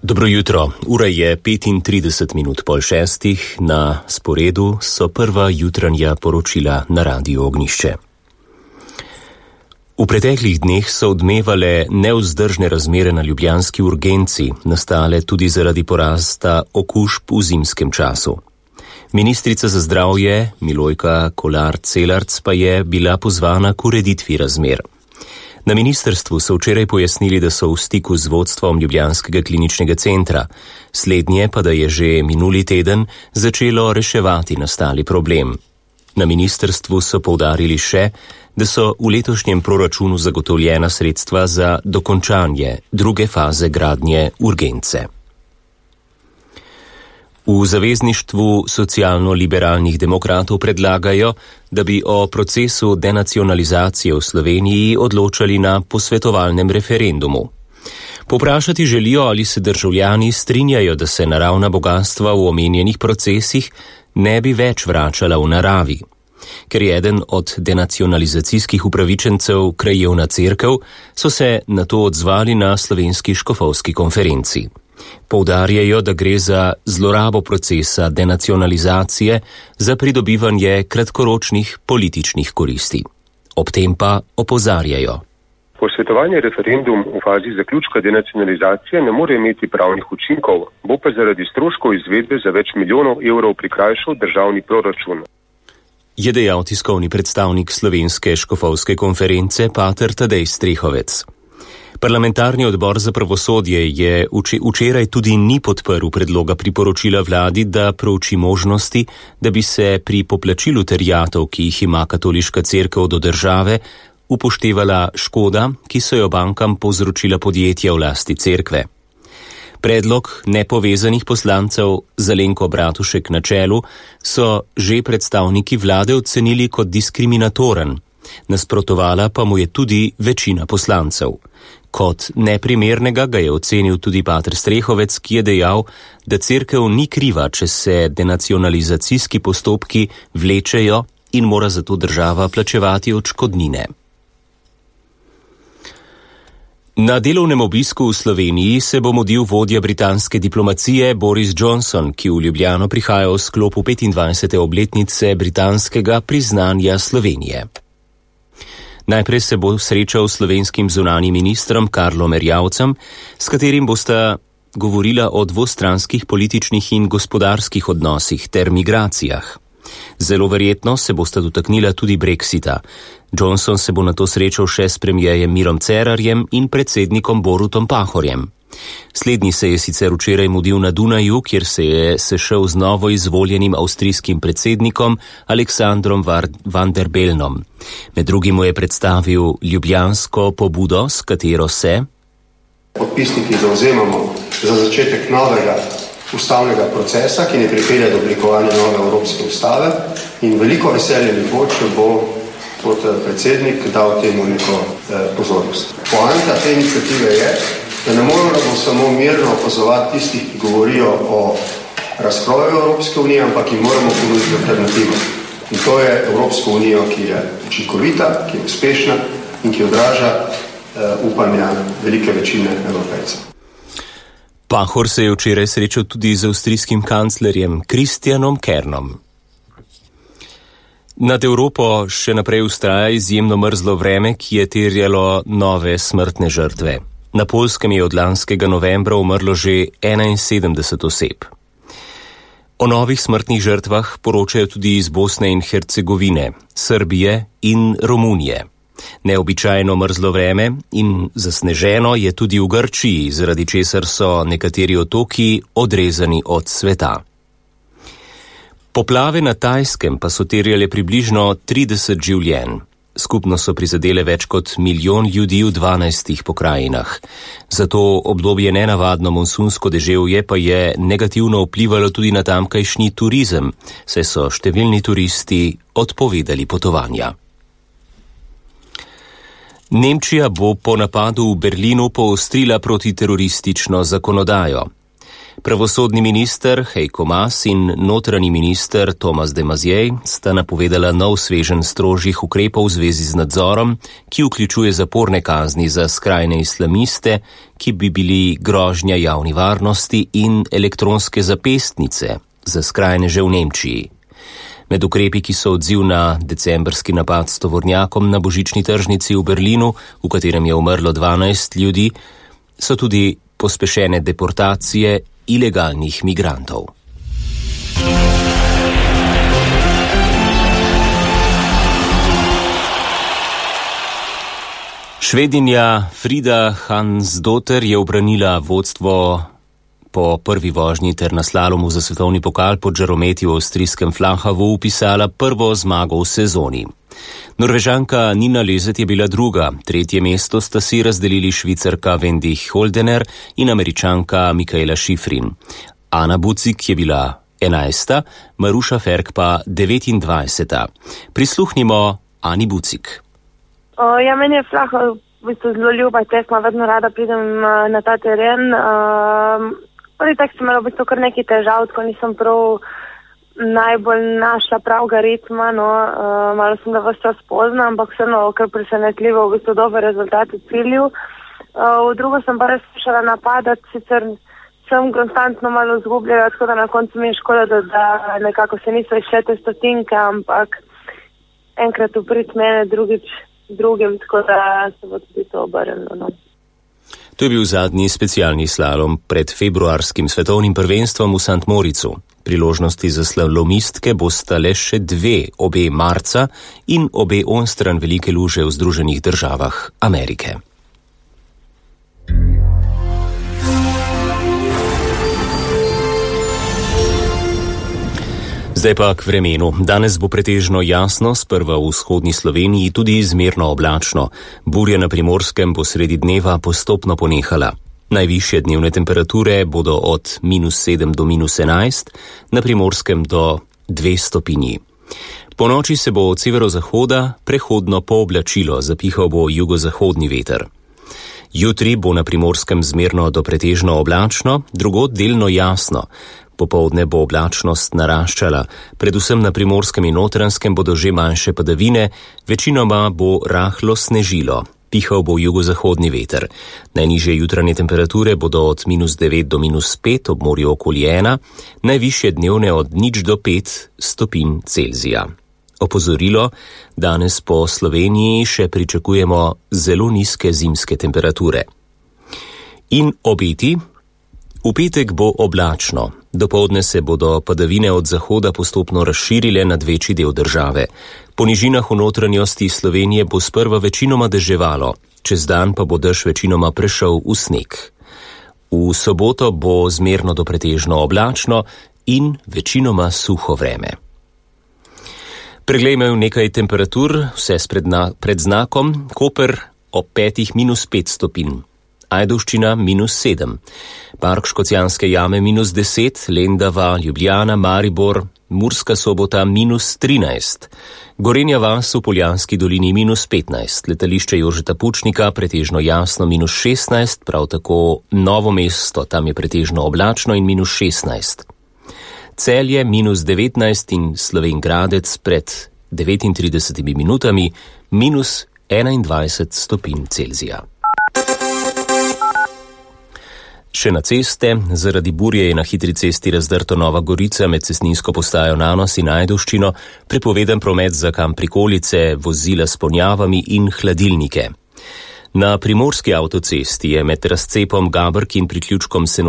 Dobro jutro, ura je 5:35, na sporedu so prva jutranja poročila na Radiu Ognjišče. V preteklih dneh so odmevale nevzdržne razmere na ljubljanski urgenci, nastale tudi zaradi porasta okužb v zimskem času. Ministrica za zdravje Milojka Kolar Celarc pa je bila pozvana k ureditvi razmer. Na ministrstvu so včeraj pojasnili, da so v stiku z vodstvom ljubljanskega kliničnega centra, slednje pa da je že minuli teden začelo reševati nastali problem. Na ministrstvu so poudarili še, da so v letošnjem proračunu zagotovljena sredstva za dokončanje druge faze gradnje urgence. V Zavezništvu socialno-liberalnih demokratov predlagajo, da bi o procesu denacionalizacije v Sloveniji odločali na posvetovalnem referendumu. Povprašati želijo, ali se državljani strinjajo, da se naravna bogastva v omenjenih procesih ne bi več vračala v naravi. Ker je eden od denacionalizacijskih upravičencev krajevna cerkev, so se na to odzvali na slovenski škofovski konferenci. Poudarjajo, da gre za zlorabo procesa denacionalizacije za pridobivanje kratkoročnih političnih koristi. Ob tem pa opozarjajo. Posvetovanje referendum v fazi zaključka denacionalizacije ne more imeti pravnih učinkov, bo pa zaradi stroškov izvedbe za več milijonov evrov prikrajšal državni proračun. Je dejal tiskovni predstavnik slovenske škofovske konference pater Tadej Strehovec. Parlamentarni odbor za pravosodje je včeraj tudi ni podprl predloga priporočila vladi, da prouči možnosti, da bi se pri poplačilu terjatev, ki jih ima katoliška cerkev do države, upoštevala škoda, ki so jo bankam povzročila podjetja v lasti cerkve. Predlog nepovezanih poslancev Zelenko Bratušek na čelu so že predstavniki vlade ocenili kot diskriminatoren, nasprotovala pa mu je tudi večina poslancev. Kot neprimernega ga je ocenil tudi pater Strehovec, ki je dejal, da cerkev ni kriva, če se denacionalizacijski postopki vlečejo in mora zato država plačevati odškodnine. Na delovnem obisku v Sloveniji se bo mudil vodja britanske diplomacije Boris Johnson, ki v Ljubljano prihaja v sklopu 25. obletnice britanskega priznanja Slovenije. Najprej se bo srečal s slovenskim zunanjim ministrom Karlom Erjavcem, s katerim bosta govorila o dvostranskih političnih in gospodarskih odnosih ter migracijah. Zelo verjetno se bosta dotaknila tudi Brexita. Johnson se bo nato srečal še s premierjem Mirom Cerarjem in predsednikom Borutom Pahorjem. Slednji se je sicer včeraj mudil na Dunaju, kjer se je sešel z novo izvoljenim avstrijskim predsednikom Aleksandrom Van der Bellnom. Med drugim mu je predstavil ljubljansko pobudo, s katero se podpisniki zavzemamo za začetek novega ustavnega procesa, ki ne pripelje do oblikovanja nove Evropske ustave, in veliko veselje mi bo, če bo kot predsednik dal temu neko pozornost. Poanta te iniciative je, da ne moramo samo mirno opazovati tistih, ki govorijo o razkroju Evropske unije, ampak jim moramo ponuditi alternativo. In to je Evropska unija, ki je učinkovita, ki je uspešna in ki odraža upanja velike večine Evropejcev. Pahor se je včeraj srečal tudi z avstrijskim kanclerjem Kristjanom Kernom. Nad Evropo še naprej vztraja izjemno mrzlo vreme, ki je terjalo nove smrtne žrtve. Na Poljskem je od lanskega novembra umrlo že 71 oseb. O novih smrtnih žrtvah poročajo tudi iz Bosne in Hercegovine, Srbije in Romunije. Neobičajno mrzlo vreme in zasneženo je tudi v Grčiji, zaradi česar so nekateri otoki odrezani od sveta. Poplave na Tajskem pa so terjale približno 30 življenj. Skupno so prizadele več kot 1 milijon ljudi v 12 pokrajinah. Zato obdobje nenavadno monsunsko deževje pa je negativno vplivalo tudi na tamkajšnji turizem, saj so številni turisti odpovedali potovanja. Nemčija bo po napadu v Berlinu poostrila protiteroristično zakonodajo. Pravosodni minister Heiko Maas in notranji minister Tomas de Maizière sta napovedala nov sveženj strožjih ukrepov v zvezi z nadzorom, ki vključuje zaporne kazni za skrajne islamiste, ki bi bili grožnja javni varnosti, in elektronske zapestnice za skrajneže v Nemčiji. Med ukrepi, ki so odziv na decembrski napad s tovornjakom na božični tržnici v Berlinu, v katerem je umrlo 12 ljudi, so tudi pospešene deportacije ilegalnih migrantov. Švedinja Frida Hansdotter je ubranila vodstvo po prvi vožnji ter na slalomu za svetovni pokal pod žarometi v avstrijskem Flahavu upisala prvo zmago v sezoni. Norvežanka Nina Lezet je bila druga, tretje mesto sta si razdelili Švicarka Wendy Holdener in Američanka Mikaela Schifrin. Ana Bucik je bila 11., Maruša Ferk pa 29. Prisluhnimo Ani Bucik. Meni je Flachov v bistvu zelo ljuba tekma, vedno rada pridem na ta teren. Prvi tek sem imela v bistvu kar nekaj težav, ko nisem prav najbolj našla pravega ritma, malo sem ga vse čas pozna, ampak vseeno kar presenetljivo, v bistvu dober rezultat v cilju. V drugo sem pa res skušala napadati, sicer sem konstantno malo izgubljala, tako da na koncu mi je škoda, da nekako se niso išle te stotinke, ampak enkrat uprit mene, drugim, tako da se bo tudi to obrnilo. To je bil zadnji specialni slalom pred februarskim svetovnim prvenstvom v St. Moricu. Priložnosti za slalomistke bosta le še dve, obe marca in obe onstran velike luže v Združenih državah Amerike. Zdaj pa k vremenu. Danes bo pretežno jasno, sprva v vzhodni Sloveniji tudi izmerno oblačno. Burja na Primorskem bo sredi dneva postopno ponehala. Najvišje dnevne temperature bodo od -7 do -11, na Primorskem do 2 stopinji. Po noči se bo od severozahoda prehodno pooblačilo, zapihal bo jugozahodni veter. Jutri bo na Primorskem zmerno do pretežno oblačno, drugod delno jasno. Popoldne bo oblačnost naraščala, predvsem na Primorskem in Notranjskem bodo že manjše padavine, večinoma bo rahlo snežilo. Pihal bo jugozahodni veter. Najnižje jutranje temperature bodo od -9 do -5, ob morju okoli 1, najvišje dnevne od 0 do 5 stopinj Celzija. Opozorilo, danes po Sloveniji še pričakujemo zelo nizke zimske temperature. In obeti. V petek bo oblačno. Dopoldne se bodo padavine od zahoda postopno razširile nad večji del države. Po nižinah v notranjosti Slovenije bo sprva večinoma deževalo, čez dan pa bo dež večinoma prešel v sneg. V soboto bo zmerno do pretežno oblačno in večinoma suho vreme. Preglejmo nekaj temperatur, vse pred znakom. Koper ob 5 -5 stopinj. Ajdovščina -7, Park Škocjanske jame -10, Lendava, Ljubljana, Maribor, Murska Sobota -13, Gorenja vas v Poljanski dolini -15, letališče Jožeta Pučnika pretežno jasno -16, prav tako Novo mesto, tam je pretežno oblačno in -16. Celje -19 in Slovenj Gradec pred 39 minutami -21 stopinj Celzija. Še na ceste, zaradi burje je na hitri cesti razdrto Nova Gorica med cestninsko postajo Nanos in Ajdovščino, prepovedan promet za kam prikolice, vozila s ponjavami in hladilnike. Na primorski avtocesti je med razcepom Gabrk in priključkom Senožeč